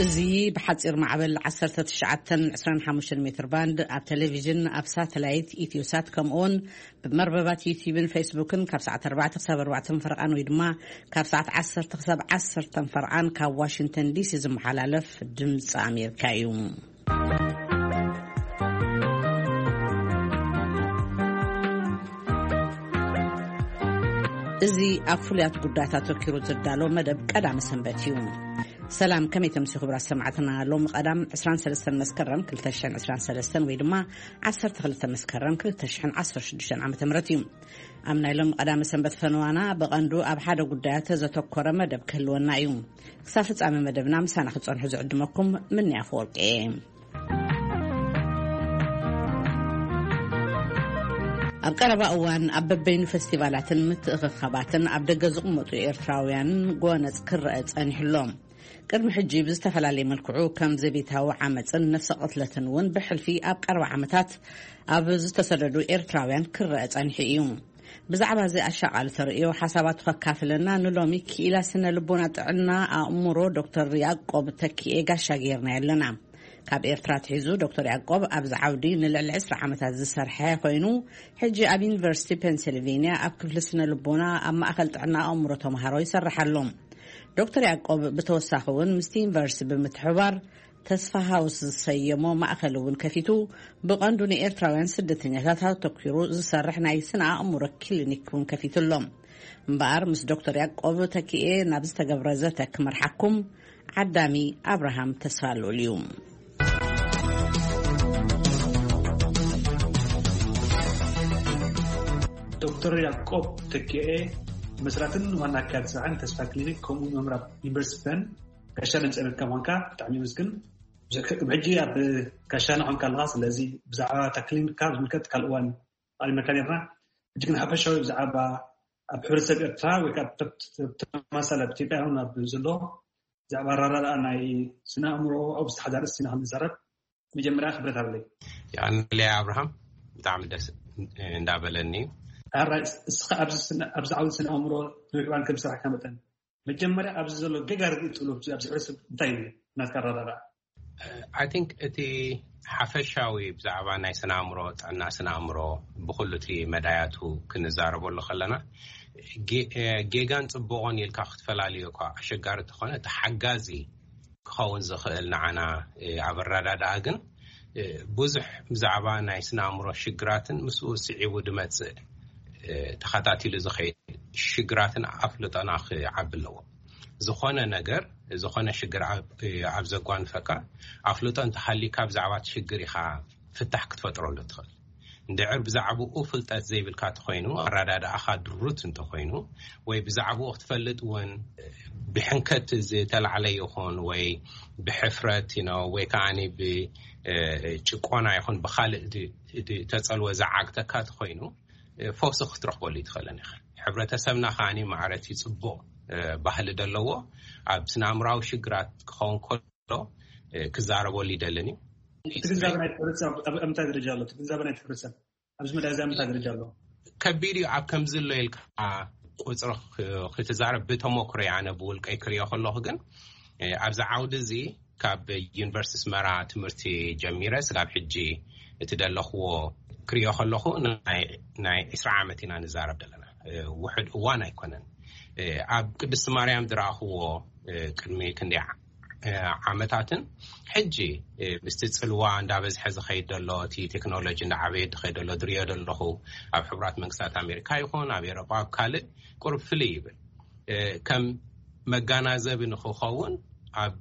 እዚ ብሓጺር ማዕበል ዓሰርተ ትሽዓተ ዕስራን ሓሙሽተን ሜትር ባንድ ኣብ ቴሌቪዥን፣ ኣብ ሳተላይት ኢትዮሳት፣ ከምኡውን ብመርበባት ዩቲዩብን ፌስቡክን ካብ ሰዓት ኣርባዕተ ክሳብ ኣርባዕተ ፈረቓን ወይ ድማ ካብ ሰዓት ዓሰርተ ክሳብ ዓሰርተ ፈረቓን ካብ ዋሽንግተን ዲሲ ዝመሓላለፍ ድምፂ ኣሜሪካ እዩ። እዚ ኣብ ፍሉያት ጉዳያት ኣተኪሩ ዝዳሎ መደብ ቀዳመ ሰንበት እዩ። ሰላም፣ ከመይ ተምሲ ክቡራት ሰማዕትና? ሎሚ ቀዳም ዕስራን ሰለስተን መስከረም ክልተ ሽሕን ዕስራን ሰለስተን ወይ ድማ ዓሰርተ ክልተ መስከረም ክልተ ሽሕን ዓሰርተ ሽዱሽተን ዓመተ ምህረት እዩ። ኣብ ናይ ሎሚ ቀዳመ ሰንበት ፈነዋና ብቐንዱ ኣብ ሓደ ጉዳያት ዘተኮረ መደብ ክህልወና እዩ። ክሳብ ፍጻሜ መደብና ምሳና ክትጸንሑ ዝዕድመኩም ምንያ ኣፈወርቂ እየ። ኣብ ቀረባ እዋን ኣብ በበይኑ ፈስቲቫላትን ምትእኽኻባትን ኣብ ደገ ዝቕመጡ ኤርትራውያን ጎነጽ ክረአ ጸኒሕሎም። ቅድሚ ሕጂ ብዝተፈላለየ መልክዑ ከም ዘቤታዊ ዓመጽን ነፍሰ ቅትለትን እውን ብሕልፊ ኣብ ቀረባ ዓመታት ኣብ ዝተሰደዱ ኤርትራውያን ክረአ ጸኒሑ እዩ። ብዛዕባ እዚ ኣሻቓሊ ተርእዮ ሓሳባቱ ከካፍለና ንሎሚ ክኢላ ስነ ልቦና ጥዕና ኣእምሮ ዶክተር ያዕቆብ ተኪኤ ጋሻ ጌርና ኣለና። ካብ ኤርትራ ኣትሒዙ ዶክተር ያዕቆብ ኣብዚ ዓውዲ ንልዕሊ ዕስራ ዓመታት ዝሰርሐ ኮይኑ፣ ሕጂ ኣብ ዩኒቨርሲቲ ፔንሲልቬንያ ኣብ ክፍሊ ስነ ልቦና ኣብ ማእከል ጥዕና ኣእምሮ ተምሃሮ ይሰርሕ ኣሎ። ዶክተር ያዕቆብ ብተወሳኺ እውን ምስቲ ዩኒቨርሲቲ ብምትሕብባር ተስፋ ሃውስ ዝሰየሞ ማእከል እውን ከፊቱ፣ ብቐንዱ ንኤርትራውያን ስደተኛታት ኣተኲሩ ዝሰርሕ ናይ ስነ ኣእምሮ ክሊኒክ እውን ከፊቱ ኣሎ። እምበኣር ምስ ዶክተር ያዕቆብ ተኪኤ ናብ ዝተገብረ ዘተ ክመርሓኩም ዓዳሚ ኣብርሃም ተስፋ ልኡል እዩ። ዶክተር ያዕቆብ ተኪኤ፣ መስራትን ዋና ኣካያዲ ስራሕን ተስፋ ክሊኒክ፣ ከምኡ መምህር ኣብ ዩኒቨርሲቲ ፐን፣ ጋሻ ድምፂ ኣሜሪካ ምዃንካ ብጣዕሚ የመስግን። ብዙሕ ቅድሚ ሕጂ ኣብ ጋሻና ኾንካ ኣለኻ። ስለዚ ብዛዕባ እታ ክሊኒክካ ዝምልከት ካልእ እዋን ኣቕሪብናካ ነርና። ሕጂ ግን ሓፈሻዊ ብዛዕባ ኣብ ሕብረተሰብ ኤርትራ ወይ ከዓ ተብ-፣ ተብ-፣ ተማሳሊ ኣብ ኢትዮጵያ ይኹን ኣብ ዘሎ ብዛዕባ ኣረዳድኣ ናይ ስነ ኣእምሮ ኣብ ዝተሓዛ ርእስቲ ኢና ክንዛረብ። መጀመርያ ክብረት ኣለይ። የቐንለይ ኣብርሃም፣ ብጣዕሚ ደስ እንዳበለኒ እዩ። ኣራይ፣ እስኻ ኣብዚ ስነ-፣ ኣብዚ ዓውዲ ስነ ኣእምሮ ነዊሕ እዋን ከም ዝሰራሕካ መጠን፣ መጀመርያ ኣብዚ ዘሎ ጌጋ ርድኢት ትብሎ ኣብዚ ሕብረተሰብ እንታይ እዩ ናትካ ኣረዳድኣ? I think እቲ ሓፈሻዊ ብዛዕባ ናይ ስነ ኣእምሮ፣ ጥዕና ስነ ኣእምሮ ብኩሉ እቲ መዳያቱ ክንዛረበሉ ከለና፣ ጌ-፣ ጌጋን ጽቡቕን ኢልካ ክትፈላልዮ እኳ ኣሸጋሪ እንተኾነ፣ እቲ ሓጋዚ ክኸውን ዝኽእል ንዓና፣ እ፣ ኣብ ኣረዳድኣ ግን፣ እ፣ ብዙሕ ብዛዕባ ናይ ስነ ኣእምሮ ሽግራትን ምስኡ ስዒቡ ዝመጽእ፣ እ፣ ተኸታቲሉ ዝኸይድ ሽግራትን ኣፍልጦና ክዓቢ ኣለዎ። ዝኾነ ነገር፣ ዝኾነ ሽግር ኣብ፣ እ፣ ኣብ ዘጓንፈካ ኣፍልጦ እንተሃሊካ ብዛዕባ እቲ ሽግር ኢኻ ፍታሕ ክትፈጥረሉ ትኽእል። እንድዕር ብዛዕባኡ ፍልጠት ዘይብልካ እንተኾይኑ፣ ኣረዳድኣኻ ድሩት እንተኾይኑ፣ ወይ ብዛዕባኡ ክትፈልጥ እውን ብሕንከት ዝተላዕለ ይኹን፣ ወይ ብሕፍረት፣ you know፣ ወይ ከዓኒ ብ-፣ እ፣ ጭቆና ይኹን ብኻልእ ድ-፣ ድ-፣ ተጸልወ ዝዓግተካ እንተኾይኑ፣ እ፣ ፈውሲ ክትረኽበሉ ይትኽእልን ኢኻ። ሕብረተሰብና ከዓኒ ማዕረቲ ጽቡቕ፣ እ፣ ባህሊ ዘለዎ ኣብ ስነ ኣእምራዊ ሽግራት ክኸውን ከሎ፣ እ፣ ክዛረበሉ ይደልን እዩ። እቲ ግንዛበ ናይ ሕብረተሰብ ኣብ፣ ኣብ፣ ኣብ ምንታይ ደረጃ ኣሎ? እቲ ግንዛበ ናይ ሕብረተሰብ ኣብዚ መዳይ እዚ ኣብ ምንታይ ደረጃ ኣሎ? ከቢድ እዩ። ኣብ ከምዚ ኣሎ ኢልካ ቁጽሪ ክ-፣ ክትዛረብ ብተሞክሮ ኣነ ብውልቀይ ክሪኦ ከለኹ ግን፣ እ፣ ኣብዚ ዓውዲ እዚ ካብ ዩኒቨርሲቲ ኣስመራ ትምህርቲ ጀሚረ ስጋብ ሕጂ እቲ ደለኽዎ ክሪኦ ከለኹ ናይ፣ ናይ ዕስራ ዓመት ኢና ንዛረብ ዘለና። እ፣ ውሑድ እዋን ኣይኮነን። እ፣ ኣብ ቅድስቲ ማርያም ዝረኣኽዎ፣ እ፣ ቅድሚ ክንደይ ዓ-፣ እ፣ ዓመታትን ሕጂ፣ እ፣ ምስቲ ጽልዋ እንዳበዝሐ ዝኸይድ ዘሎ፣ እቲ ቴክኖሎጂ እንዳዓበየ ዝኸይድ ዘሎ ዝሪኦ ዘለኹ፣ ኣብ ሕቡራት መንግስታት ኣሜሪካ ይኹን ኣብ ኤውሮጳ ኣብ ካልእ ቁሩብ ፍልይ ይብል። እ፣ ከም መጋናዘቢ ንኽኸውን ኣብ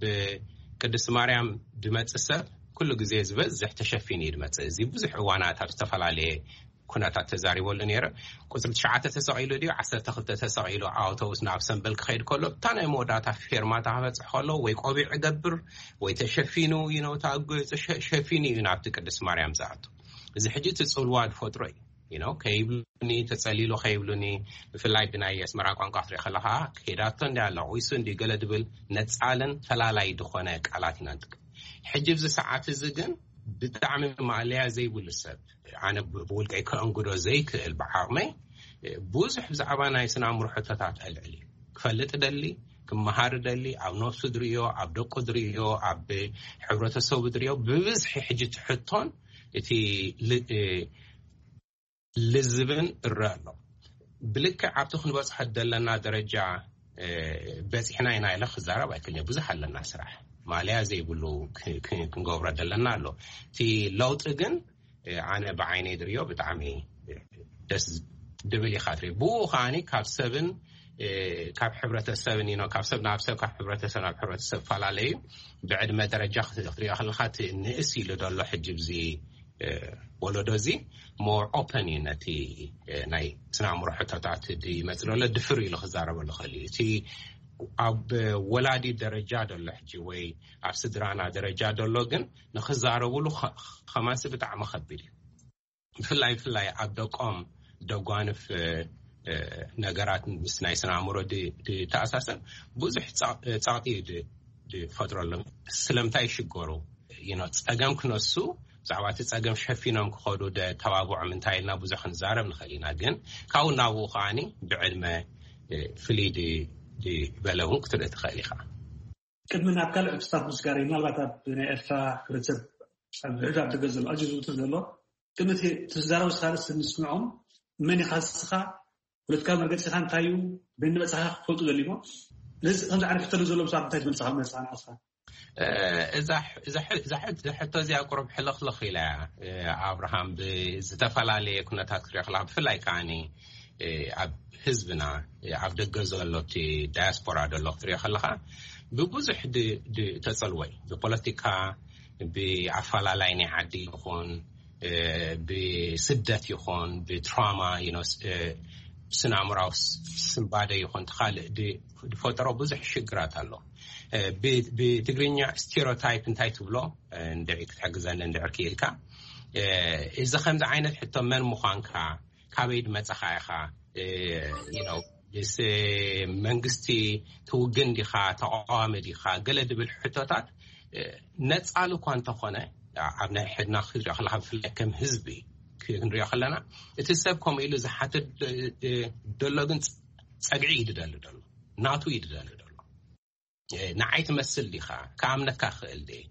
ቅድስቲ ማርያም ድመጽእ ሰብ ኩሉ ግዜ ዝበዝሕ ተሸፊኑ እዩ ድመጽእ። እዚ ብዙሕ እዋናት ኣብ ዝተፈላለየ ኩነታት ተዛሪበሉ ነይረ። ቁጽሪ ትሽዓተ ተሰቒሉ ድዩ ዓሰርተ ክልተ ተሰቒሉ ኣውቶቡስ ናብ ሰምበል ክኸይድ ከሎ፣ እታ ናይ መወዳእታ ፌርማታ ክበጽሕ ከሎ ወይ ቆቢዕ እገብር ወይ ተሸፊኑ፣ you know፣ እታ ገጹ ሸ-፣ ሸፊኑ እዩ ናብቲ ቅድስት ማርያም ዝኣቱ። እዚ ሕጂ እቲ ጽልዋ ዝፈጥሮ እዩ። You know፣ ከይብሉኒ፣ ተጸሊሉ ከይብሉኒ፣ ብፍላይ ብናይ ኣስመራ ቋንቋ ክትሪኦ ከለኻ፣ ከይዳቶ እንድያ፣ ለቒሱ እንድዩ፣ ገለ ድብል ነጻልን ፈላላይ ዝኾነ ቃላት ኢና ንጥቀም። ሕጂ ኣብዚ ሰዓት እዚ ግን ብጣዕሚ ማእለያ ዘይብሉ ሰብ፣ ኣነ ብ-፣ ብውልቀይ ከእንግዶ ዘይክእል ብዓቕመይ፣ ብዙሕ ብዛዕባ ናይ ስነ ኣእምሮ ሕቶታት ኣልዕል እዩ። ክፈልጥ እደሊ፣ ክመሃር ደሊ፣ ኣብ ነፍሱ ድርእዮ፣ ኣብ ደቁ ድርእዮ፣ ኣብ ሕብረተሰቡ ድርእዮ። ብብዝሒ ሕጂ ትሕቶን እቲ ል- እ፣ ልዝብን እረ ኣሎ። ብልክዕ ኣብቲ ክንበጽሖ ዘለና ደረጃ እ፣ በጺሕና ኢና ኢለ ክዛረብ ኣይክእልን። ብዙሕ ኣለና ስራሕ፣ ማልያ ዘይብሉ ክ- ክ- ክንገብሮ ዘለና ኣሎ። እቲ ለውጢ ግን እ፣ ኣነ ብዓይነይ ድርዮ ብጣዕሚ ደስ ድብል ኢኻ ትርኢ። ብኡ ከዓኒ ካብ ሰብን እ፣ ካብ ሕብረተሰብን፣ you know፣ ካብ ሰብ ናብ ሰብ፣ ካብ ሕብረተሰብ ናብ ሕብረተሰብ ፈላለዩ። ብዕድመ ደረጃ ክት- ክትሪኦ ከለኻ እቲ ንእስ ኢሉ ዘሎ ሕጂ ብዚ እ፣ ወለዶ እዚ more open እዩ ነቲ እ፣ ናይ ስነ ኣእምሮ ሕቶታት ድመጽእ ዘሎ ድፍር ኢሉ ክዛረበሉ ክእል እዩ። እቲ ኣብ ወላዲ ደረጃ ዘሎ ሕጂ ወይ ኣብ ስድራና ደረጃ ዘሎ ግን ንክዛረብሉ ከ- ከማንሲ ብጣዕሚ ከቢድ እዩ። ብፍላይ ብፍላይ ኣብ ደቆም ደጓንፍ እ፣ እ፣ ነገራት ምስ ናይ ስነ ኣእምሮ ድ- ድተኣሳሰር ብዙሕ ጸ- ጸቕጢ እዩ ድ- ድፈጥረሎም። ስለምንታይ ይሽገሩ? You know፣ ጸገም ክነሱ ብዛዕባ እቲ ጸገም ሸፊኖም ክኸዱ ደ ተባብዖም እንታይ ኢልና ብዙሕ ክንዛረብ ንኽእል ኢና። ግን ካብኡ ናብኡ ከዓኒ ብዕድመ እ፣ ፍልይ ድ- ድበለ እውን ክትርኢ ትኽእል ኢኻ። ቅድሚ ናብ ካልእ ሕቶታት ምስጋር፣ ምናልባት ኣብ ናይ ኤርትራ ሕብረተሰብ ኣብ ሕድ ኣብ ደገ ዘሎ ኣዝዩ ዝውትር ዘሎ፣ ቅድሚ እቲ ትዛረብ ስኻልስ ንስምዖም፣ መን ኢኻ ንስኻ፣ ፖለቲካዊ መርገጺኻ እንታይ እዩ፣ በይን መጻኻ ክፈልጡ ደሊሞ። ስለዚ ከምዚ ዓይነት ሕቶ ዘሎ ሰባት እንታይ ትመልስኻ መጻኻ ንዓኻ? እ፣ እዛ ሕ- እዛ ሕ- እዛ ሕ- እዛ ሕቶ እዚኣ ቁሩብ ሕልኽልኽ ኢላ እያ። እ፣ ኣብርሃም፣ ብዝተፈላለየ ኩነታት ክትሪኦ ከለኻ፣ ብፍላይ ከዓኒ እ፣ ኣብ ህዝብና እ፣ ኣብ ደገ ዘሎ እቲ ዳያስፖራ ዘሎ ክትሪኦ ከለኻ፣ ብብዙሕ ድ- ድ- ተጸልወ እዩ። ብፖለቲካ፣ ብኣፈላላይ ናይ ዓዲ ይኹን እ፣ ብስደት ይኹን ብትራማ፣ you know፣ ስ- እ፣ ስነ ኣእምራዊ ስ- ስንባደ ይኹን ካልእ ድ- ዝፈጠሮ ብዙሕ ሽግራት ኣሎ። እ፣ ብ- ብትግርኛ ስቴሪዮታይፕ እንታይ ትብሎ? እ፣ እንድዒ ክትሕግዘኒ እንድዕር ክኢልካ፣ እ፣ እዚ ከምዚ ዓይነት ሕቶ፣ መን ምዃንካ፣ ካበይ ድመጻኻ ኢኻ፣ እ፣ you know፣ ምስ መንግስቲ ትውግን ዲኻ፣ ተቃዋሚ ዲኻ፣ ገለ ድብል ሕቶታት እ፣ ነጻሉ እኳ እንተኾነ፣ ኣብ ናይ ሕድና ክትሪኦ ከለኻ፣ ብፍላይ ከም ህዝቢ ክንሪኦ ከለና፣ እቲ ሰብ ከምኡ ኢሉ ዝሓትት እ፣ እ፣ ደሎ ግን ጸ- ጸግዒ እዩ ድደሊ ደሎ፣ ናቱ እዩ ድደሊ ደሎ። እ፣ ንዓይ ትመስል ዲኻ? ክኣምነካ ክእል ድየ?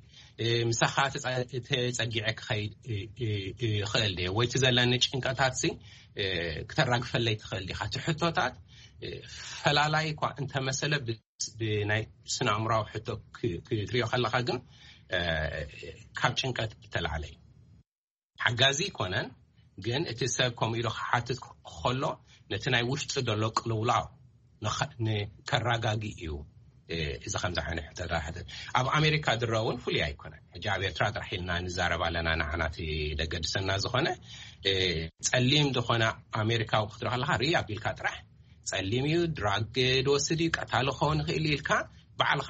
እ፣ ምሳኻ ተጸ- ተጸጊዐ ክኸይድ እ፣ እ፣ እ፣ ክእል ድየ? ወይ እቲ ዘለኒ ጭንቀታት ሲ እ፣ ክተራግፈለይ ትኽእል ዲኻ? እቲ ሕቶታት እ፣ ፈላላይ እኳ እንተመሰለ፣ ብ- ብናይ ስነ ኣእምራዊ ሕቶ ክ- ክትሪኦ ከለኻ ግን እ፣ ካብ ጭንቀት እተላዕለ እዩ። ሓጋዚ ኣይኮነን፣ ግን እቲ ሰብ ከምኡ ኢሉ ክሓትት ከሎ ነቲ ናይ ውሽጢ ዘሎ ቅልውላው ንኸ- ንከራጋጊ እዩ። እ፣ እዚ ከምዚ ዓይነት ሕቶታት ሕተት። ኣብ ኣሜሪካ ድረ እውን ፍሉይ ኣይኮነን። ሕጂ ኣብ ኤርትራ ጥራሕ ኢልና ንዛረብ ኣለና፣ ንዓና እቲ ደገድሰና ዝኾነ እ፣ ጸሊም ዝኾነ ኣሜሪካዊ ክትርኢ ከለኻ፣ ርኢ ኣቢልካ ጥራሕ ጸሊም እዩ፣ ድራግ ድወስድ እዩ፣ ቀታሊ ክኸውን ይኽእል እዩ ኢልካ ባዕልኻ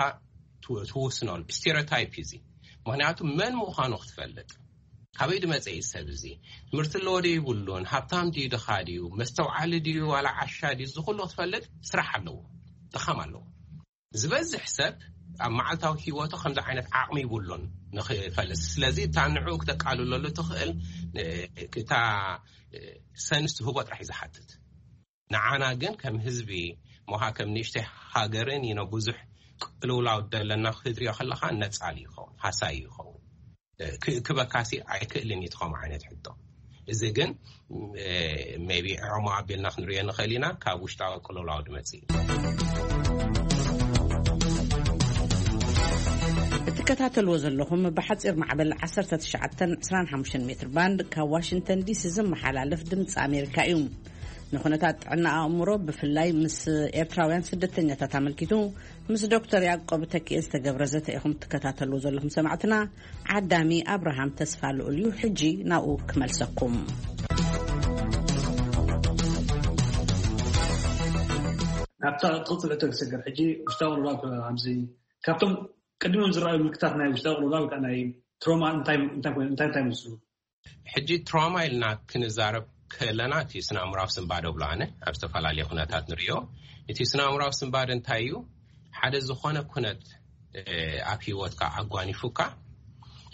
ትው- ትውስነሉ ስቴሪዮታይፕ እዩ እዚ። ምኽንያቱ መን ምዃኑ ክትፈልጥ፣ ካበይ ድመጸ እዩ ሰብ እዚ፣ ትምህርቲ ኣለዎ ድዩ ይብሉን፣ ሃብታም ድዩ ድኻ ድዩ፣ መስተውዓሊ ድዩ ዋላ ዓሻ ድዩ፣ እዚ ኩሉ ክትፈልጥ ስራሕ ኣለዎ፣ ድኻም ኣለዎ። ዝበዝሕ ሰብ ኣብ መዓልታዊ ህይወቱ ከምዚ ዓይነት ዓቕሚ ይብሉን ንኽፈልጥ። ስለዚ እታ ንዕኡ ክተቃልለሉ ትኽእል እ፣ እታ እ፣ ሰንስ ትህቦ ጥራሕ እዩ ዝሓትት። ንዓና ግን ከም ህዝቢ ሞሃ ከም ንእሽተይ ሃገርን ኢኖ ብዙሕ ቅልውላው ደለና ክትሪኦ ከለኻ ነጻል ይኸውን፣ ሃሳይ ይኸውን። እ፣ ክ- ክበካሲ ኣይክእልን እዩ ትኸም ዓይነት ሕቶ። እዚ ግን እ፣ ሜቢ ዕሞ ኣቢልና ክንሪኦ ንኽእል ኢና፣ ካብ ውሽጣዊ ቅልውላው ድመጽእ እዩ። እትከታተልዎ ዘለኹም ብሓፂር ማዕበል ዓሰርተ ትሽዓተ ዕስራን ሓሙሽተን ሜትር ባንድ ካብ ዋሽንግተን ዲሲ ዝመሓላለፍ ድምፂ ኣሜሪካ እዩ። ንኩነታት ጥዕና ኣእምሮ ብፍላይ ምስ ኤርትራውያን ስደተኛታት ኣመልኪቱ ምስ ዶክተር ያዕቆብ ተኪኤ ዝተገብረ ዘተ ኢኹም ትከታተልዎ ዘለኹም ሰማዕትና። ዓዳሚ ኣብርሃም ተስፋ ልኡል እዩ። ሕጂ ናብኡ ክመልሰኩም። ናብታ ትቕፅል ሕቶ ክሰገር ሕጂ ውሽጣዊ ቅልውላው ኣብዚ ካብቶም ቅድሚም ዝረኣዩ ምልክታት ናይ ውሽጣዊ ቅልውላው ወይ ከዓ ናይ ትሮማ እንታይ እንታይ ኮይኑ እንታይ እንታይ መስሉ? ሕጂ ትራውማ ኢልና ክንዛረብ ከለና እቲ ስነ ኣእምራዊ ስንባደ ብሎ ኣነ ኣብ ዝተፈላለየ ኩነታት ንሪኦ። እቲ ስነ ኣእምራዊ ስንባደ እንታይ እዩ? ሓደ ዝኾነ ኩነት እ፣ ኣብ ህይወትካ ኣጓኒፉካ፣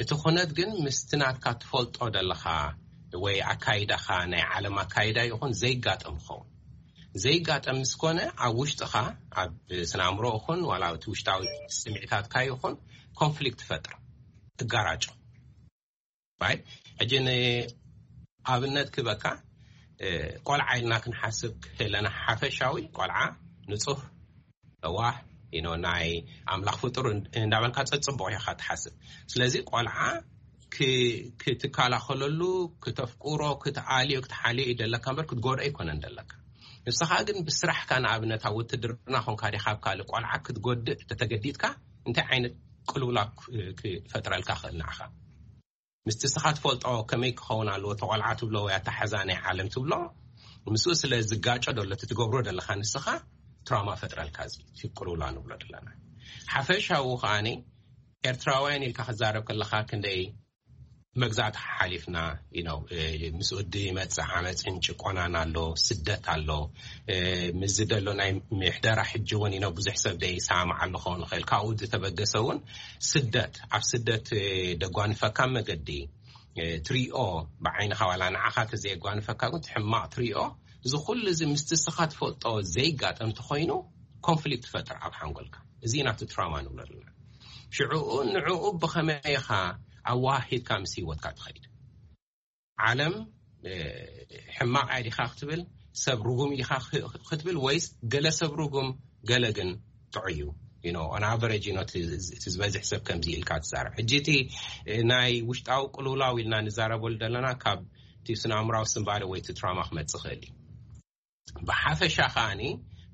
እቲ ኩነት ግን ምስቲ ናትካ ትፈልጦ ደለኻ ወይ ኣካይዳኻ ናይ ዓለም ኣካይዳ ይኹን ዘይጋጠም ክኸውን። ዘይጋጠም ምስ ኮነ፣ ኣብ ውሽጥኻ፣ ኣብ ስነ ኣእምሮ ይኹን ዋላ እቲ ውሽጣዊ ስምዒታትካ ይኹን፣ ኮንፍሊክት ትፈጥር፣ ትጋራጮ። ሕጂ ንኣብነት ክበካ፣ ቆልዓ ኢልና ክንሓስብ ክህለና፣ ሓፈሻዊ ቆልዓ ንጹህ፣ ለዋህ፣ ናይ ኣምላኽ ፍጡር እንዳበልካ ጸጽቡቕ ኢኻ ትሓስብ። ስለዚ ቆልዓ ክትከላኸለሉ፣ ክተፍቁሮ፣ ክትኣልዮ፣ ክትሓልዮ እዩ ደለካ እምበር ክትጎድኦ ኣይኮነን ደለካ። ንስኻ ግን ብስራሕካ፣ ንኣብነት ኣብ ውትድርና ኾንካ ዲኻ ኣብ ካልእ ቆልዓ ክትጎድእ ተተገዲድካ፣ እንታይ ዓይነት ቅልውላ ክፈጥረልካ ክእል ንዓኻ? ምስቲ ስኻ ትፈልጦ ከመይ ክኸውን ኣለዎ ተቆልዓ ትብሎ ወይ ኣተሓዛ ናይ ዓለም ትብሎ፣ ምስኡ ስለ ዝጋጮ ደሎ እቲ ትገብሮ ደለኻ ንስኻ ትራማ ፈጥረልካ፣ እዚ ቅልውላ ንብሎ ደለና። ሓፈሻዊ ከዓኒ ኤርትራውያን ኢልካ ክዛረብ ከለኻ ክንደይ መግዛእቲ ሓሊፍና፣ you know፣ ምስኡ ድመጽእ ዓመፅን ጭቆናን ኣሎ፣ ስደት ኣሎ። ምስዚ ደሎ ናይ ምሕደራ ሕጂ እውን፣ you know፣ ብዙሕ ሰብ ደይ ሰማማዓሉ ክኸውን ይኽእል። ካብኡ ዝተበገሰ እውን ስደት፣ ኣብ ስደት ደጓንፈካ መገዲ ትሪኦ፣ ብዓይንኻ ዋላ ንዓኻ ተዘየጓንፈካ ግን ትሕማቕ ትሪኦ። እዚ ኩሉ እዚ ምስቲ ስኻ ትፈልጦ ዘይጋጠም ተኾይኑ ኮንፍሊክት ትፈጥር ኣብ ሓንጎልካ። እዚ ናቱ ትራማ ንብሎ ኣለና። ሽዕኡ ንዕኡ ብኸመይ ኢኻ ኣዋሂድካ ምስ ህይወትካ ትኸይድ? ዓለም ሕማቕ እያ ዲኻ ክትብል፣ ሰብ ርጉም ኢኻ ክትብል፣ ወይስ ገለ ሰብ ርጉም ገለ ግን ጥዑይ እዩ? On average፣ እቲ ዝበዝሕ ሰብ ከምዚ ኢልካ ትዛረብ። ሕጂ እቲ ናይ ውሽጣዊ ቅልውላው ኢልና ንዛረበሉ ዘለና ካብ እቲ ስነ ኣእምራዊ ስንባደ ወይ እቲ ትራማ ክመጽእ ይኽእል እዩ። ብሓፈሻ ከዓኒ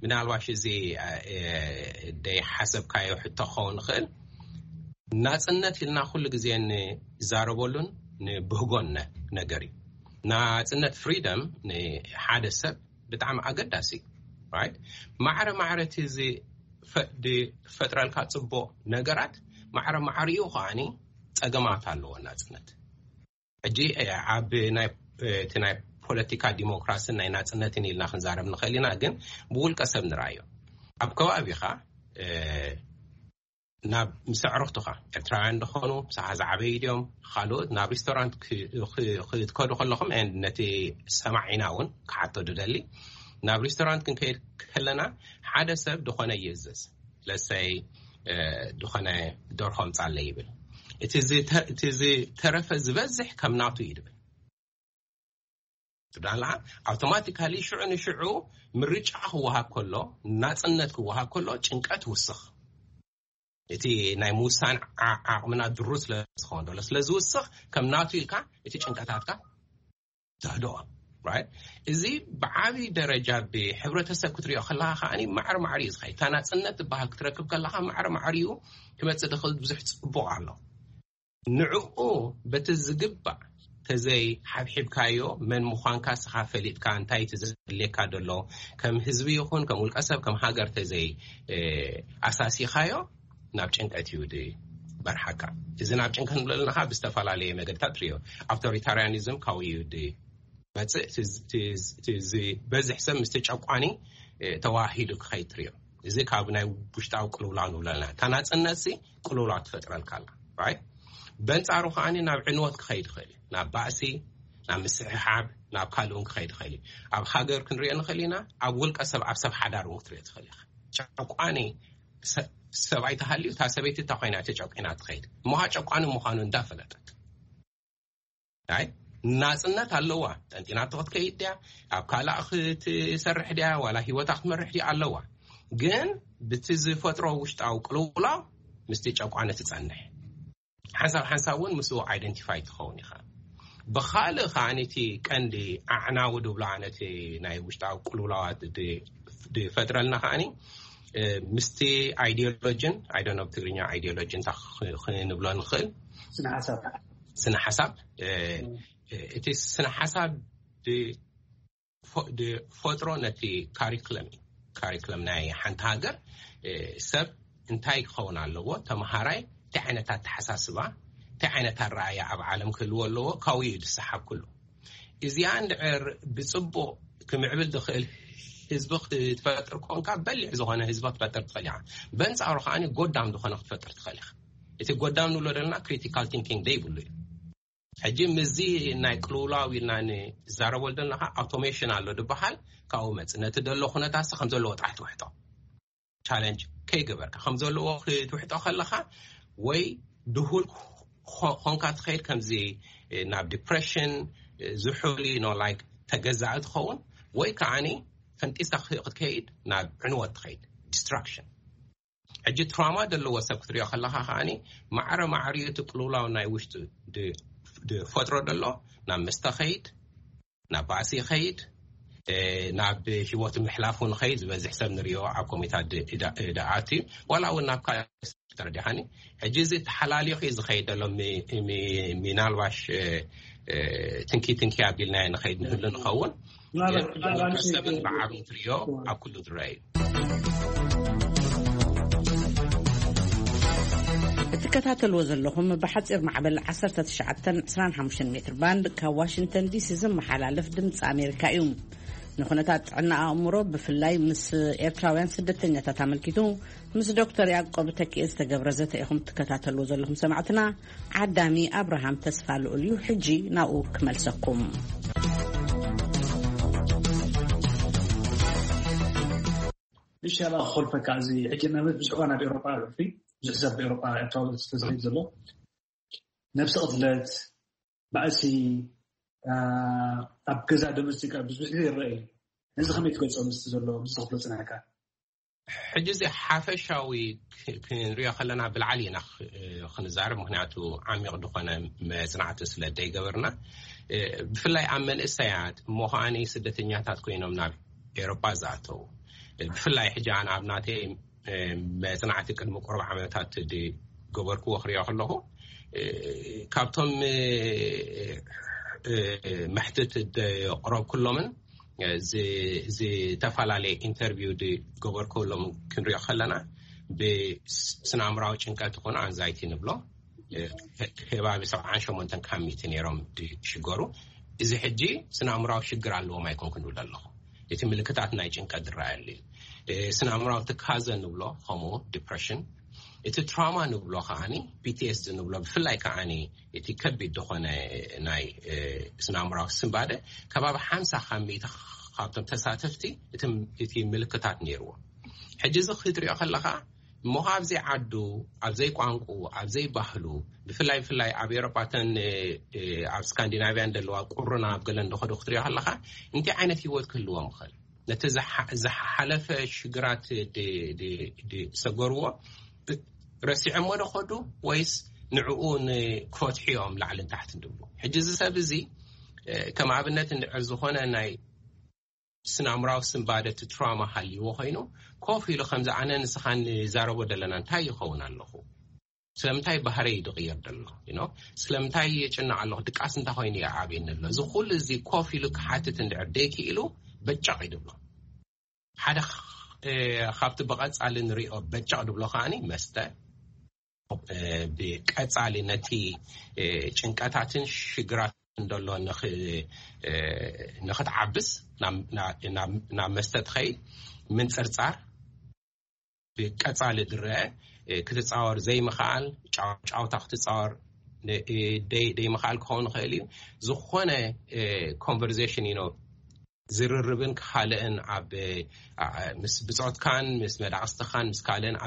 ምናልባሽ እዚ ደይ ሓሰብካዮ ሕቶ ክኸውን ይኽእል። ናጽነት ኢልና ኩሉ ግዜ ንዛረበሉን ንብህጎን ነገር እዩ። ናጽነት፣ ፍሪደም፣ ንሓደ ሰብ ብጣዕሚ ኣገዳሲ እዩ። ማዕረ ማዕረ እቲ ዝፈጥረልካ ጽቡቕ ነገራት፣ ማዕረ ማዕሪኡ ከዓኒ ጸገማት ኣለዎ ናጽነት። ሕጂ ኣብ ናይ እቲ ናይ ፖለቲካ ዲሞክራስን ናይ ናጽነትን ኢልና ክንዛረብ ንኽእል ኢና፣ ግን ብውልቀ ሰብ ንርኣዮ። ኣብ ከባቢኻ ናብ ምስ ኣዕሩኽትኻ፣ ኤርትራውያን ዝኾኑ፣ ምሳኻ ዝዓበዩ ድዮም፣ ካልኦት፣ ናብ ሪስቶራንት ክትከዱ ከለኹም፣ ነቲ ሰማዒና እውን ክሓቶ ድደሊ፣ ናብ ሪስቶራንት ክንከይድ ከለና ሓደ ሰብ ድኾነ ይእዘዝ። ለሰይ ድኾነ ደርሆ ምጻለይ ይብል። እቲ ዝተረፈ ዝበዝሕ ከም ናቱ እዩ ድብል። ትብዳላ ኣውቶማቲካሊ ሽዑ ንሽዑ ምርጫ ክወሃብ ከሎ፣ ናጽነት ክወሃብ ከሎ ጭንቀት ውስኽ። እቲ ናይ ምውሳን ዓቕምና ድሩ ስለ ዝኾን ዶሎ ስለ ዝውስኽ፣ ከም ናቱ ኢልካ እቲ ጭንቀታትካ ተህድኦ። እዚ ብዓብዪ ደረጃ ብሕብረተሰብ ክትሪኦ ከለኻ ከዓኒ ማዕረ ማዕሪ እዩ ዝኸይድ። እታ ናጽነት ዝበሃል ክትረክብ ከለኻ ማዕረ ማዕሪኡ ክመጽእ ዝኽእል ብዙሕ ጽቡቕ ኣሎ። ንዕኡ በቲ ዝግባእ ተዘይ ሓብሒብካዮ፣ መን ምዃንካ ስኻ ፈሊጥካ፣ እንታይ እቲ ዘድልየካ ዘሎ፣ ከም ህዝቢ ይኹን ከም ውልቀ ሰብ ከም ሃገር ተዘይ ኣሳሲኻዮ፣ ናብ ጭንቀት እዩ ድበርሓካ። እዚ ናብ ጭንቀት ንብሎ ኣለና ብዝተፈላለየ መገድታት ሪዮ። ኣውቶሪታርያኒዝም ካብኡ እዩ ድመጽእ። ዝበዝሕ ሰብ ምስቲ ጨቋኒ ተዋሂዱ ክኸይድ ትሪዮ። እዚ ካብ ናይ ውሽጣዊ ቅልውላው ንብሎ ኣለና። እታ ናጽነት ሲ ቅልውላው ትፈጥረልካ ኣላ። በንጻሩ ከዓኒ ናብ ዕንወት ክኸይድ ይኽእል እዩ። ናብ ባእሲ፣ ናብ ምስሕሓብ፣ ናብ ካልእ እውን ክኸይድ ይኽእል እዩ። ኣብ ሃገር ክንሪኦ ንኽእል ኢና። ኣብ ውልቀ ሰብ፣ ኣብ ሰብ ሓዳር እውን ክትሪኦ ትኽእል ኢኻ። ጨቋኒ ሰብኣይ ተሃልዩ እታ ሰበይቲ እታ ኮይና ተጨቂና ትኸይድ እሞ ጨቋኒ ምዃኑ እንዳፈለጠት። ኣይ ናጽነት ኣለዋ። ጠንጢናቶ ክትከይድ ድያ፣ ኣብ ካልእ ክትሰርሕ ድያ፣ ዋላ ህይወታ ክትመርሕ ድያ ኣለዋ። ግን ብቲ ዝፈጥሮ ውሽጣዊ ቅልውላው ምስቲ ጨቋኒ ትጸንሕ። ሓንሳብ ሓንሳብ እውን ምስኡ ኣይደንቲፋይ ትኸውን ኢኻ። ብኻልእ ከዓኒ እቲ ቀንዲ ኣዕናዊ ድብሎ ኣነ እቲ ናይ ውሽጣዊ ቅልውላዋት ዝፈጥረልና ከዓኒ ምስቲ ኣይዲዮሎጂን፣ ኣይደኖ ብትግርኛ ኣይዲዮሎጂ እንታይ ክንብሎ ንኽእል፣ ስነ ሓሳብ። ስነ ሓሳብ እቲ ስነ ሓሳብ ዝፈጥሮ ነቲ ካሪክለም እዩ። ካሪክለም ናይ ሓንቲ ሃገር ሰብ እንታይ ክኸውን ኣለዎ፣ ተምሃራይ እንታይ ዓይነት ኣተሓሳስባ፣ እንታይ ዓይነት ኣረኣያ ኣብ ዓለም ክህልዎ ኣለዎ፣ ካብኡ እዩ ዝሰሓብ ኩሉ። እዚኣ እንድዕር ብጽቡቕ ክምዕብል ዝኽእል ህዝቢ ክትፈጥር ኮንካ፣ በሊሕ ዝኾነ ህዝቢ ክትፈጥር ትኽእል ኢኻ። በንጻሩ ከዓኒ ጎዳም ዝኾነ ክትፈጥር ትኽእል ኢኻ። እቲ ጎዳም ንብሎ ዘለና ክሪቲካል ቲንኪንግ ዘይብሉ እዩ። ሕጂ ምስዚ ናይ ቅልውላው ኢልና ንዛረበሉ ዘለና ከዓ ኣውቶሜሽን ኣሎ ዝበሃል ካብኡ መፅ ነቲ ዘሎ ኩነታት ከም ዘለዎ ጥራሕ ትውሕጦ ቻለንጅ ከይገበርካ ከም ዘለዎ ክትውሕጦ ከለካ ወይ ድሁል ኮንካ ትኸይድ ከምዚ ናብ ዲፕሬሽን ዝሑል ኖ ላይክ ተገዛእ ትኸውን ወይ ከዓኒ ፈንጢስካ ክትከይድ ናብ ዕንወት ትኸይድ ዲስትራክሽን። ሕጂ ትራማ ዘለዎ ሰብ ክትሪኦ ከለካ ከዓኒ ማዕረ ማዕሪኡ እቲ ቅልውላው ናይ ውሽጡ ዝፈጥሮ ዘሎ ናብ መስተ ኸይድ ናብ ባእሲ ይኸይድ ናብ ህይወቱ ምሕላፍ እውን ኸይድ ዝበዝሕ ሰብ ንሪኦ ኣብ ኮሚታት ድኣት እዩ ዋላ እውን ናብ ካልእ ተረዲሓኒ። ሕጂ እዚ ተሓላሊኹ እዩ ዝኸይድ ዘሎ። ምናልባሽ ትንኪ ትንኪ ኣቢልናዮ ንኸይድ ንህሉ ንኸውን። ሰብን ብዓብን ትሪኦ ኣብ ኩሉ ዝረአ እዩ። እትከታተልዎ ዘለኹም ብሓፂር ማዕበል ዓሰርተ ትሽዓተን ዕስራን ሓሙሽተን ሜትር ባንድ ካብ ዋሽንግተን ዲሲ ዝመሓላለፍ ድምፂ ኣሜሪካ እዩ። ንኩነታት ጥዕና ኣእምሮ ብፍላይ ምስ ኤርትራውያን ስደተኛታት ኣመልኪቱ ምስ ዶክተር ያዕቆብ ተኪኤ ዝተገብረ ዘተ ኢኹም ትከታተልዎ ዘለኹም ሰማዕትና። ዓዳሚ ኣብርሃም ተስፋ ልኡል እዩ። ሕጂ ናብኡ ክመልሰኩም። ንሻላ ክኾልፈካ እዚ ሕጂ ናበት ብዙሕ እዋን ኣብ ኤሮጳ ርፊ ብዙሕ ሰብ ኤሮጳ ኤርትራዊ ተዝኸይድ ዘሎ ነብሲ ቅትለት ባእሲ ኣብ ገዛ ዶሜስቲክ ብዙሕ ግዜ ይረአ እዩ። ነዚ ከመይ ትገልጾ ምስቲ ዘሎ ምስቲ ክፍሎ ጽናሕካ? ሕጂ እዚ ሓፈሻዊ ክንሪኦ ከለና ብላዕሊ ኢና ክንዛረብ ምክንያቱ ዓሚቕ ዝኾነ መጽናዕቲ ስለ ደይገበርና ብፍላይ ኣብ መንእሰያት እሞ ከዓኒ ስደተኛታት ኮይኖም ናብ ኤሮጳ ዝኣተው ብፍላይ ሕጂ ኣነ ኣብ ናተይ መጽናዕቲ ቅድሚ ቁሩብ ዓመታት ዝገበርክዎ ክሪኦ ከለኹ ካብቶም መሕትት ዘቕረብኩሎምን ዝተፈላለየ ኢንተርቪው ዝገበርኩሎም ክንሪኦ ከለና ብስነ ኣእምራዊ ጭንቀት ይኹን ኣንዛይቲ ንብሎ ከባቢ ሰብዓን ሸሞንተን ካብ ሚእቲ ነይሮም ዝሽገሩ። እዚ ሕጂ ስነ ኣእምራዊ ሽግር ኣለዎም ኣይኮንኩ ንብል ኣለኹ። እቲ ምልክታት ናይ ጭንቀት ዝረኣየሉ እዩ። ስነ ኣእምራዊ ትካዘ ንብሎ ከምኡ ዲፕሬሽን። እቲ ትራማ ንብሎ ከዓኒ ፒቲኤስዲ ንብሎ ብፍላይ ከዓኒ እቲ ከቢድ ዝኾነ ናይ ስነ ኣእምራዊ ስንባደ ከባቢ ሓምሳ ካብ ሚእቲ ካብቶም ተሳተፍቲ እቲ ምልክታት ነይርዎ። ሕጂ እዚ ክትሪኦ ከለካ እሞ ኣብዘይ ዓዱ ኣብዘይ ቋንቁ ኣብዘይ ባህሉ ብፍላይ ብፍላይ ኣብ ኤሮጳተን ኣብ ስካንዲናቪያን ዘለዋ ቁሩና ኣብ ገለን ደኸዶ ክትሪኦ ከለካ እንታይ ዓይነት ህይወት ክህልዎም ይኽእል? ነቲ ዝሓለፈ ሽግራት ዝሰገርዎ ረሲዖሞ ዶ ከዱ ወይስ ንዕኡ ንክፈትሑ እዮም ላዕልን ታሕትን ድብሉ? ሕጂ እዚ ሰብ እዚ ከም ኣብነት እንድዕር ዝኾነ ናይ ስነ ኣእምራዊ ስንባደ እቲ ትራማ ሃልይዎ ኮይኑ ኮፍ ኢሉ ከምዚ ኣነ ንስኻን ንዛረቦ ዘለና እንታይ ይኸውን ኣለኹ? ስለምንታይ ባህረይ እዩ ዝቕየር ዘሎ? You know? ስለምንታይ የጭንቕ ኣለኹ? ድቃስ እንታይ ኮይኑ ይዓብየኒ ኣሎ? እዚ ኩሉ እዚ ኮፍ ኢሉ ክሓትት እንድዕር ደይክኢሉ በጨቕ እዩ ድብሎ። ሓደ ካብቲ ብቐጻሊ ንሪኦ በጨቕ ድብሎ ከዓኒ መስተ ብቀጻሊ ነቲ ጭንቀታትን ሽግራት እንደሎ ንክትዓብስ ናብ መስተ ትኸይድ ምንፅርፃር ብቀጻሊ ዝረአ ክትፃወር ዘይምኽኣል ጫውታ ክትፃወር ደይምኽኣል ክኸውን ይኽእል እዩ። ዝኾነ ኮንቨርዜሽን ኢኖ ዝርርብን ካልእን ኣብ ምስ ብፆትካን ምስ መዳቕስትኻን ምስ ካልእን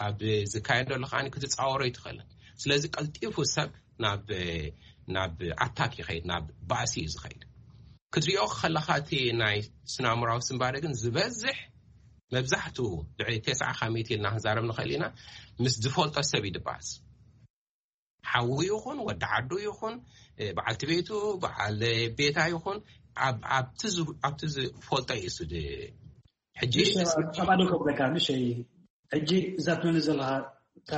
ኣብ ዝካየደሉ ከዓ ክትፃወሮ ይትኽእልን። ስለዚ ቀልጢፉ ሰብ ናብ ናብ ኣታክ ይኸይድ፣ ናብ ባእሲ እዩ ዝኸይድ። ክትሪኦ ከለካ እቲ ናይ ስናምራዊ ስንባደ ግን ዝበዝሕ መብዛሕትኡ ልዕሊ ተስዓ ካብ ሚእቲ ኢልና ክንዛረብ ንኽእል ኢና ምስ ዝፈልጦ ሰብ እዩ ድባእስ። ሓዉ ይኹን ወዲ ዓዱ ይኹን በዓልቲ ቤቱ በዓል ቤታ ይኹን ኣብቲ ዝፈልጦ እዩ እሱ። ሕጂ ሻባዶ ከብለካ ንሸይ ሕጂ እዛ ትመኒ ዘለካ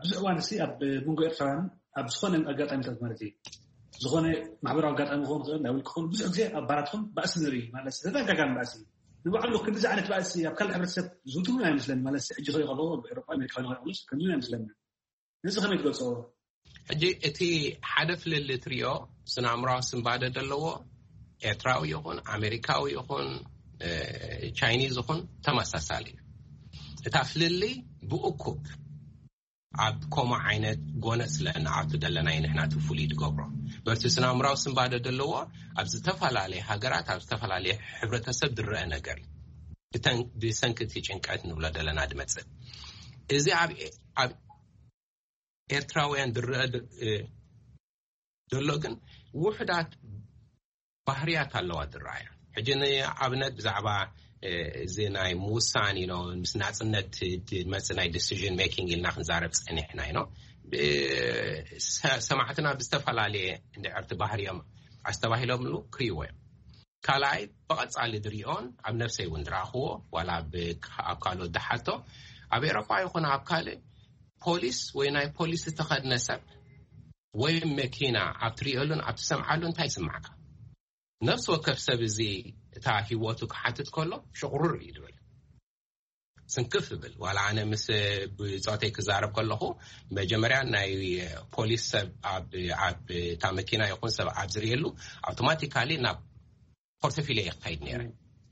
ብዙሕ እዋን ሲ ኣብ መንጎ ኤርትራውያን ኣብ ዝኾነ ኣጋጣሚታት ማለት እዩ ዝኾነ ማሕበራዊ ኣጋጣሚ ክኸውን ክእል ናይ ውልቅኹም ብዙሕ ግዜ ኣብ ባራትኩም ባእሲ ንርኢ ማለት ተደጋጋሚ ባእሲ ንባዕሉ ክንዲዚ ዓይነት ባእሲ ኣብ ካልእ ሕብረተሰብ ዝውትውን ኣይመስለኒ ማለት ሕጂ ከይከሎ ኤሮጳ ኣሜሪካ ከይከሎ ከምዚ ኣይመስለኒ። ነዚ ከመይ ትገልፅዎ? ሕጂ እቲ ሓደ ፍልልይ ትሪኦ ስነ ኣእምራዊ ስንባደ ዘለዎ ኤርትራዊ ይኹን ኣሜሪካዊ ይኹን ቻይኒዝ ይኹን ተመሳሳሊ እዩ። እታ ፍልልይ ብእኩብ ኣብ ከምኡ ዓይነት ጎነፅ ስለ ንኣቱ ዘለና እዩ ንሕና እቲ ፍሉይ ትገብሮ። በቲ ስናምራዊ ስንባደ ዘለዎ ኣብ ዝተፈላለየ ሃገራት ኣብ ዝተፈላለየ ሕብረተሰብ ዝረአ ነገር እዩ። ብተን- ብሰንኪ እቲ ጭንቀት ንብሎ ዘለና ዝመፅእ እዚ ኣብ ኣብ ኤርትራውያን ዝረአ ድ- እ፣ ዘሎ ግን ውሕዳት ባህርያት ኣለዋ ዝረኣያ። ሕጂ ንኣብነት ብዛዕባ እ፣ እዚ ናይ ምውሳን ኢኖ ምስ ናፅነት ዝመፅእ ናይ ዲሲዥን ሜኪንግ ኢልና ክንዛረብ ፀኒሕና ኢኖ ሰማዕትና ብዝተፈላለየ እንድዕርቲ ባህርዮም ኣስተባሂሎምሉ ክርእይዎ እዮም። ካልኣይ ብቐፃሊ ዝሪኦን ኣብ ነፍሰይ እውን ዝረኣኽዎ ዋላ ኣብ ካልኦት ዝሓቶ ኣብ ኤሮጳ ይኹን ኣብ ካልእ ፖሊስ ወይ ናይ ፖሊስ ዝተኸድነ ሰብ ወይ መኪና ኣብ ትሪኦሉን ኣብ ትሰምዓሉ እንታይ ይስማዕካ? ነፍሲ ወከፍ ሰብ እዚ እታ ሂወቱ ክሓትት ከሎ ሽቑርር እዩ ዝብል። ስንክፍ ይብል። ዋላ ኣነ ምስ ብፆተይ ክዛረብ ከለኹ መጀመርያ ናይ ፖሊስ ሰብ ኣብ ኣብ እታ መኪና ይኹን ሰብ ኣብ ዝርእየሉ ኣውቶማቲካሊ ናብ ፖርቶፊልዮ ይኸይድ ነይረ።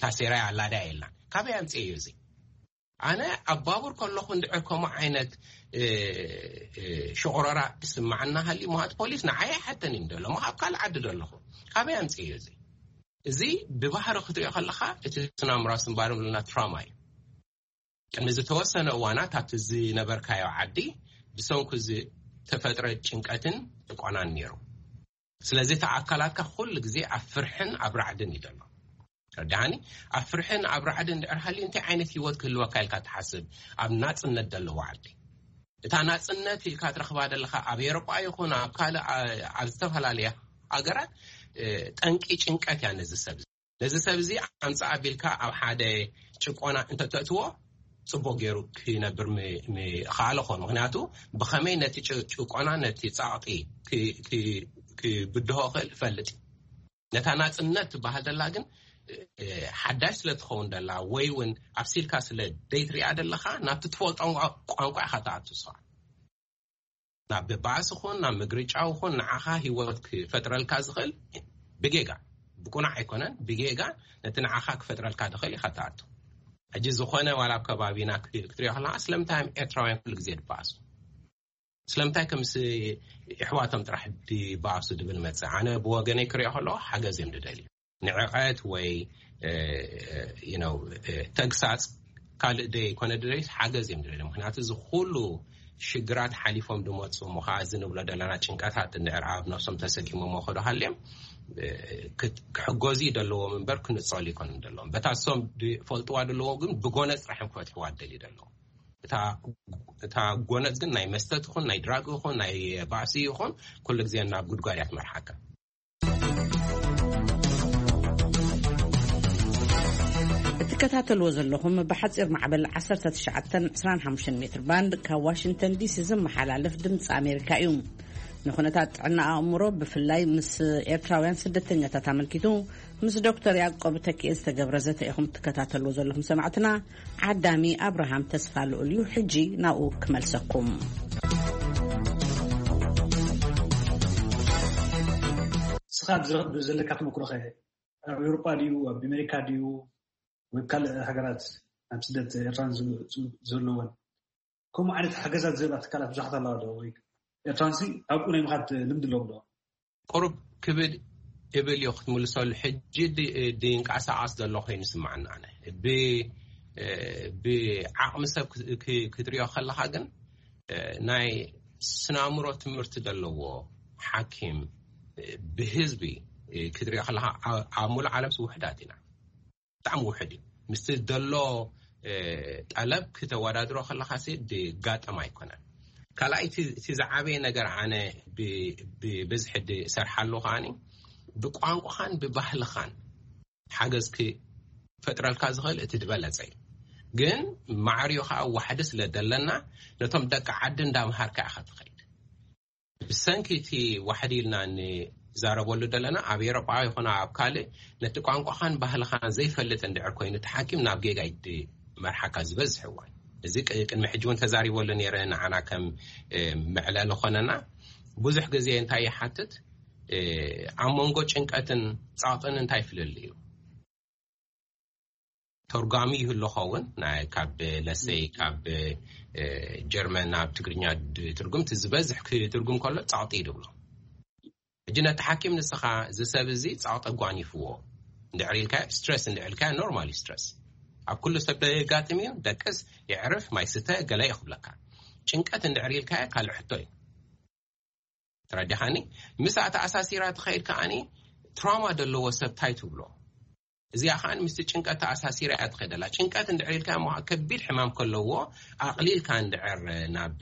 ታሴራ ኣላዳ የላን። ካበይ ኣምፅኤ እዩ እዚ? ኣነ ኣብ ባቡር ከለኹ እንድዕር ከምኡ ዓይነት ሽቆረራ ስማዓና ሃሊ ምሃት ፖሊስ ንዓይ ኣይሓተን እዩ ደሎ ምሃብ ካልእ ዓዲ ደለኹ ካበይ ኣምፅእ እዩ እዚ እዚ ብባህሪ ክትሪኦ ከለካ እቲ ስናምራ ስንባር ብልና ትራማ እዩ። ቅድሚ ዝተወሰነ እዋናት ኣብቲ ዝነበርካዮ ዓዲ ብሰንኩ ዝተፈጥረ ጭንቀትን ጭቆናን ነይሩ። ስለዚ እቲ ኣካላትካ ኩሉ ግዜ ኣብ ፍርሕን ኣብ ራዕድን እዩ ዘሎ። ረዳሃኒ ኣብ ፍርሕን ኣብ ራዕድን ድሕር ሃልዩ እንታይ ዓይነት ህይወት ክህልወካ ኢልካ ትሓስብ? ኣብ ናፅነት ዘለዎ ዓዲ እታ ናፅነት ኢልካ ትረኽባ ዘለካ ኣብ ኤሮጳ ይኹን ኣብ ካልእ ኣብ ዝተፈላለየ ሃገራት ጠንቂ ጭንቀት እያ ነዚ ሰብ ነዚ ሰብ እዚ ኣምፃእ ኣቢልካ ኣብ ሓደ ጭቆና እንተተእትዎ ፅቡቅ ገይሩ ክነብር ምኸኣለ ኾን ምክንያቱ ብኸመይ ነቲ ጭቆና ነቲ ፃቕጢ ክብድሆ ክእል እፈልጥ ነታ ናፅነት ትበሃል ደላ ግን ሓዳሽ ስለ ትኸውን ደላ ወይ እውን ኣብሲልካ ስለ ደይትሪኣ ደለካ ናብቲ ትፈልጦ ቋንቋ ኢካ ትኣቱ ስኻ ናብ ባእሲ ኹን ናብ ምግርጫው ኹን ንዓኻ ህይወት ክፈጥረልካ ዝኽእል ብጌጋ ብቁናዕ ኣይኮነን ብጌጋ ነቲ ንዓኻ ክፈጥረልካ ዝኽእል ኢኻ ትኣቱ። ሕጂ ዝኾነ ዋላ ኣብ ከባቢና ክትሪኦ ከለካ ስለምንታይ እዮም ኤርትራውያን ኩሉ ግዜ ድበኣሱ? ስለምንታይ ከምስ ኣሕዋቶም ጥራሕ ድበኣሱ ድብል መፅእ ኣነ ብወገነይ ክሪኦ ከለኩ ሓገዝ እዮም ድደልዩ። ንዕቐት ወይ ተግሳፅ ካልእ ደይ ኮነ ድደልዩ ሓገዝ እዮም ድደልዩ። ምክንያቱ እዚ ኩሉ ሽግራት ሓሊፎም ድመፁ እሞ ከዓ እዚ ንብሎ ዘለና ጭንቀታት እንድሕር ኣብ ነብሶም ተሰኪሞሞ ከዶ ሃልዮም ክሕገዙ ደለዎም እምበር ክንፀሉ ይኮኑ ደለዎም በታ ሶም ፈልጥዋ ደለዎም ግን ብጎነፅ ጥራሕ እዮም ክፈትሕዋ ደልዩ ደለዎም። እታ ጎነፅ ግን ናይ መስተ ትኹን ናይ ድራግ ይኹን ናይ ባእሲ ይኹን ኩሉ ግዜ ናብ ጉድጓድ እያ ትመርሓካ። እትከታተልዎ ዘለኹም ብሓፂር ማዕበል ዓሰርተ ትሽዓተን ዕስራን ሓሙሽተን ሜትር ባንድ ካብ ዋሽንግተን ዲሲ ዝመሓላለፍ ድምፂ ኣሜሪካ እዩ። ንኩነታት ጥዕና ኣእምሮ ብፍላይ ምስ ኤርትራውያን ስደተኛታት ኣመልኪቱ ምስ ዶክተር ያዕቆብ ተኪኤ ዝተገብረ ዘተ ኢኹም ትከታተልዎ ዘለኹም ሰማዕትና። ዓዳሚ ኣብርሃም ተስፋ ልኡል እዩ። ሕጂ ናብኡ ክመልሰኩም። ንስኻ ዘለካ ተመክሮ ከ ኣብ ኤውሮጳ ድዩ ኣብ ኣሜሪካ ድዩ ወይ ካልእ ሃገራት ኣብ ስደት ኤርትራን ዘለወን ከምኡ ዓይነት ሓገዛት ዝህባ ትካላት ብዙሓት ኣለዋ ዶ? ወይ ኤርትራንሲ ኣብኡ ናይ ምኻድ ልምዲ ኣለዎም ዶ? ቁሩብ ክብድ እብል እዮ ክትምልሰሉ። ሕጂ ድንቃሳቐስ ዘሎ ኮይኑ ይስምዓኒ ኣነ። ብዓቕሚ ሰብ ክትሪኦ ከለኻ ግን ናይ ስናምሮ ትምህርቲ ዘለዎ ሓኪም ብህዝቢ ክትሪኦ ከለኻ ኣብ ሙሉእ ዓለምሲ ውሕዳት ኢና። ብጣዕሚ ውሕድ እዩ። ምስቲ ዘሎ ጠለብ ክተወዳድሮ ከለኻ ሲ ድጋጠም ኣይኮነን። ካልኣይ እቲ ዝዓበየ ነገር ኣነ ብብዝሒ ድሰርሓሉ ከዓኒ ብቋንቋኻን ብባህልኻን ሓገዝ ክፈጥረልካ ዝኽእል እቲ ዝበለፀ እዩ። ግን ማዕርዮ ከዓ ዋሕዲ ስለ ዘለና ነቶም ደቂ ዓዲ እንዳምሃርካ ኢኻ ትኸይድ። ብሰንኪ እቲ ዋሕዲ ኢልና ንዛረበሉ ዘለና ኣብ ኤሮጳ ይኹን ኣብ ካልእ ነቲ ቋንቋኻን ባህልኻን ዘይፈልጥ እንድዕር ኮይኑ እቲ ሓኪም ናብ ጌጋ ይመርሓካ ዝበዝሕ እዋን። እዚ ቅድሚ ሕጂ እውን ተዛሪበሉ ነይረ። ንዓና ከም መዕለሊ ኾነና ብዙሕ ግዜ እንታይ ይሓትት ኣብ መንጎ ጭንቀትን ፃቕጥን እንታይ ፍልል እዩ? ተርጓሚ ይህሉ ኸውን ናይ ካብ ለሰይ ካብ ጀርመን ናብ ትግርኛ ትርጉም እቲ ዝበዝሕ ክትርጉም ከሎ ፃቕጢ ይድብሎ። ሕጂ ነቲ ሓኪም ንስኻ እዚ ሰብ እዚ ጸቕጢ ኣጓኒፍዎ እንድዕር ኢልካ፣ ስትረስ እንድዕር ኢልካ፣ ኖርማል ስትረስ ኣብ ኩሉ ሰብ ደጋጥም እዩ። ደቅስ፣ የዕርፍ፣ ማይ ስተ፣ ገለ ይኽብለካ። ጭንቀት እንድዕር ኢልካ ካልእ ሕቶ እዩ። ተረዲኻኒ? ምስ ኣተኣሳሲራ ትኸይድ ከኣኒ ትራውማ ዘለዎ ሰብ ታይ ትብሎ? እዚኣ ከኣ ምስቲ ጭንቀት ተኣሳሲራ እያ ትኸደላ። ጭንቀት እንድዕር ኢልካ እሞ ከቢድ ሕማም ከለዎ ኣቕሊልካ እንድዕር ናብ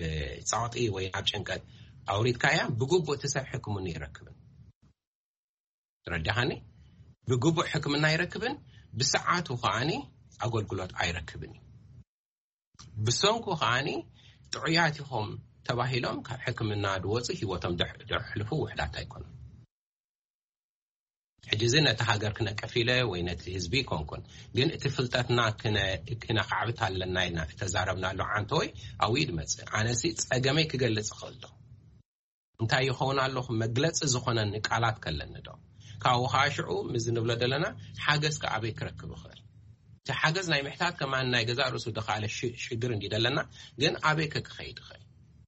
ጸቕጢ ወይ ናብ ጭንቀት ኣውሪድካያ፣ ብግቡእ እቲ ሰብ ሕክምና ይረክብን። ረዲኻኒ? ብግቡእ ሕክምና ይረክብን፣ ብሰዓቱ ከኣኒ ኣገልግሎት ኣይረክብን እዩ። ብሰንኩ ከኣኒ ጥዑያት ኢኹም ተባሂሎም ካብ ሕክምና ድወፁ ህይወቶም ደሕ- ደሕልፉ ውሕዳት ኣይኮኑን። ሕጂ እዚ ነቲ ሃገር ክነቅፍ ኢለ ወይ ነቲ ህዝቢ ይኮንኩን፣ ግን እቲ ፍልጠትና ክነ- ክነካዕብት ኣለና ኢልና እተዛረብናሉ ዓንተወይ ኣብኡ ድመፅእ። ኣነሲ ፀገመይ ክገልፅ እኽእል ዶ? እንታይ ይኸውን ኣለኹ? መግለፂ ዝኾነኒ ቃላት ከለኒ ዶ? ካብኡ ከዓ ሽዑ ምስ ንብሎ ዘለና ሓገዝ ከ ኣበይ ክረክብ እኽእል? እቲ ሓገዝ ናይ ምሕታት ከማን ናይ ገዛእ ርእሱ ድኻለ ሽ- ሽግር እንዲ ደለና፣ ግን ኣበይ ከ ክኸይድ እኽእል?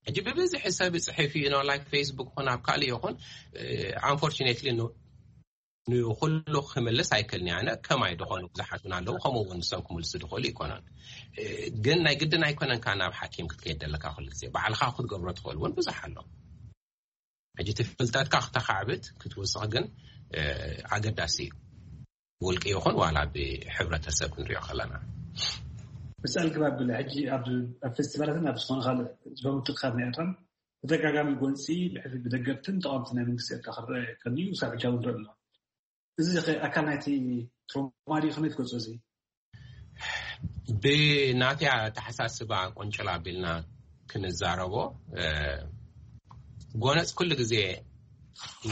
ሕጂ ብብዝሒ ሰብ ይፅሕፍ እዩ፣ ኖ ላይክ ፌስቡክ ይኹን ኣብ ካልእ ይኹን። ኣንፎርቹኔትሊ ንኩሉ ክምልስ ኣይክእልን እየ። ኣነ ከማይ ዝኾኑ ብዙሓት እውን ኣለዉ፣ ከምኡ እውን ንሶም ክምልሱ ድኽእሉ ይኮነን። ግን ናይ ግድን ኣይኮነን ካብ ናብ ሓኪም ክትከይድ ደለካ ኩሉ ግዜ፣ ባዕልኻ ክትገብሮ ትኽእል እውን ብዙሕ ኣሎ። ሕጂ እቲ ፍልጠትካ ክተኻዕብት ክትውስኽ ግን ኣገዳሲ እዩ። ውልቂ ይኹን ዋላ ብሕብረተሰብ ክንሪኦ ከለና። ብፀልግባ ብለ ሕጂ ኣብ ኣብ ፌስቲቫላትን ኣብ ዝኾነ ካልእ ዝፈምቱ ክሳብ ናይ ኤርትራን ተደጋጋሚ ጎንፂ ብሕፊ ብደገፍትን ተቃወምቲ ናይ መንግስቲ ኤርትራ ክረአ ከልዩ ክሳብ ሕጂ እውን ንርኢ ኣለና። እዚ ኣካል ናይቲ ትሮማ ድዩ? ከመይ ትገልፆ? እዚ ብናትያ ተሓሳስባ ቁንጭል ኣቢልና ክንዛረቦ፣ ጎነፅ ኩሉ ግዜ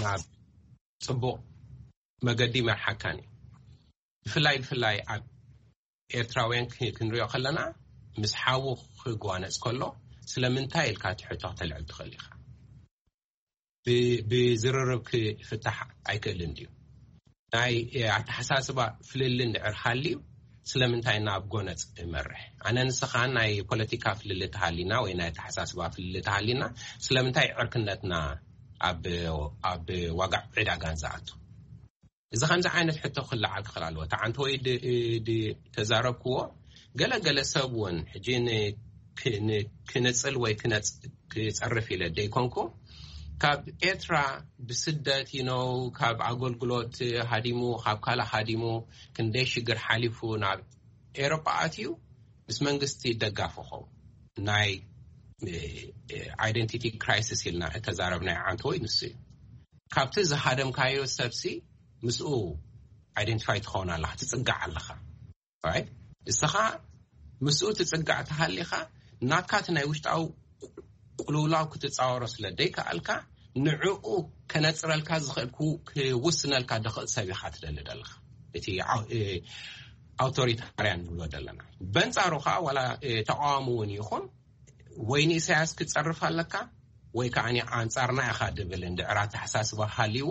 ናብ ፅቡቕ መገዲ ይመርሓካን እዩ። ብፍላይ ብፍላይ ኣብ ኤርትራውያን ክንሪኦ ከለና፣ ምስ ሓዉ ክጓነፅ ከሎ ስለምንታይ ኢልካ እቲ ሕቶ ክተልዕል ትኽእል ኢኻ። ብዝርርብ ክፍታሕ ኣይክእልን ድዩ? ናይ ኣተሓሳስባ ፍልልይ እንድዕር ሃልዩ ስለምንታይ ናብ ጎነፅ እመርሕ? ኣነ ንስኻን ናይ ፖለቲካ ፍልልይ ተሃሊና ወይ ናይ ኣተሓሳስባ ፍልልይ ተሃሊና ስለምንታይ ዕርክነትና ኣብ ዋጋ ዕዳጋን ዝኣቱ? እዚ ከምዚ ዓይነት ሕቶ ክለዓል ክኽእል ኣለዎ። እቲ ዓንተ ወይ ተዛረብክዎ ገለ ገለ ሰብ እውን ሕጂ ክነፅል ወይ ክፀርፍ ኢለ ደይኮንኩ፣ ካብ ኤርትራ ብስደት ይነው ካብ ኣገልግሎት ሃዲሙ ካብ ካልእ ሃዲሙ ክንደይ ሽግር ሓሊፉ ናብ ኤሮጳ ኣትዩ ምስ መንግስቲ ደጋፊ ኸውን ናይ identity crisis ኢልና እተዛረብናዮ ዓንተ ወይ ንሱ እዩ። ካብቲ ዝሃደምካዮ ሰብሲ ምስኡ identify ትኸውን ኣለኻ፣ ትፅጋዕ ኣለኻ። ንስኻ ምስኡ ትፅጋዕ ተሃሊኻ ናትካ እቲ ናይ ውሽጣዊ ቅልውላው ክትፃወሮ ስለ ደይከኣልካ ንዕኡ ከነፅረልካ ዝኽእል ክውስነልካ ድኽእል ሰብ ኢኻ ትደሊ ደለኻ። እቲ ኣውቶሪታርያን ንብሎ ዘለና። በንፃሩ ከዓ ዋላ ተቃዋሚ እውን ይኹን ወይ ንኢሳያስ ክትፀርፍ ኣለካ ወይ ከዓ ኣንፃርና ኢኻ ድብል እንድዕር ኣተሓሳስባ ሃልይዎ፣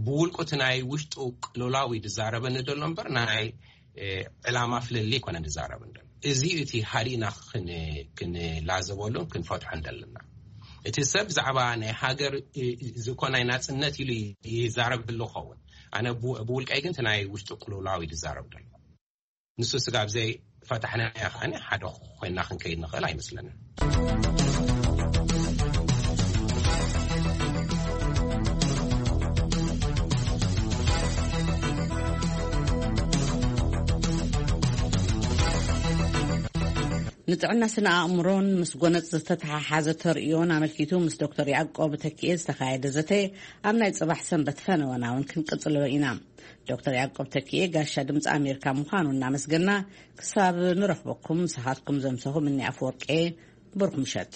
ብውልቁ እቲ ናይ ውሽጡ ቅልውላው እዩ ዝዛረበኒ ዘሎ እምበር ናይ ዕላማ ፍልልይ ኣይኮነን ዝዛረብ እንዶ። እዚ እቲ ሃዲእና ክንላዘበሉን ክንፈትሖን ዘለና። እቲ ሰብ ብዛዕባ ናይ ሃገር ዝኾነ ናይ ናፅነት ኢሉ ይዛረብ ህሉ ኸውን፣ ኣነ ብውልቀይ ግን እቲ ናይ ውሽጡ ቅልውላው እዩ ዝዛረብ ዘሎ። ንሱ ስጋብ ዘይ ፈታሕና ከዓኒ ሓደ ኮይና ክንከይድ ንኽእል ኣይመስለንን። ንጥዕና ስነ ኣእምሮን ምስ ጎነጽ ዝተተሓሓዘ ተርእዮን ኣመልኪቱ ምስ ዶክተር ያዕቆብ ተኪኤ ዝተኻየደ ዘተ ኣብ ናይ ጽባሕ ሰንበት ፈነወና እውን ክንቅጽሎ ኢና። ዶክተር ያዕቆብ ተኪኤ ጋሻ ድምፂ ኣሜሪካ ምዃኑ እናመስገና ክሳብ ንረኽበኩም ምሳኻትኩም ዘምሰኹ ምኒ ኣፈወርቄ። ብሩኽ ምሸት።